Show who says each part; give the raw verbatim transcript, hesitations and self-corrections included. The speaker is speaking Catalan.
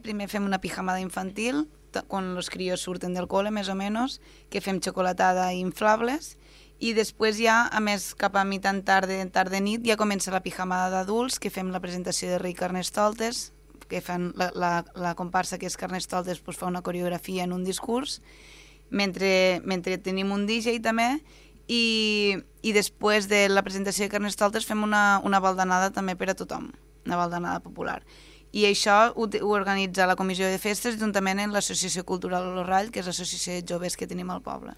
Speaker 1: primer fem una pijamada infantil, quan els crios surten del col·le, més o menys, que fem xocolatada i inflables, i després ja, a més, cap a mitjan tarda, tarda nit, ja comença la pijamada d'adults, que fem la presentació de Rei Carnestoltes, que fan la, la, la comparsa que és Carnestoltes pues, fa una coreografia en un discurs, mentre, mentre tenim un D J també, i, i després de la presentació de Carnestoltes fem una, una baldanada també per a tothom, una baldanada popular. I això ho, ho organitza la Comissió de Festes juntament amb l'Associació Cultural L'Orrall, que és l'associació de joves que tenim al poble.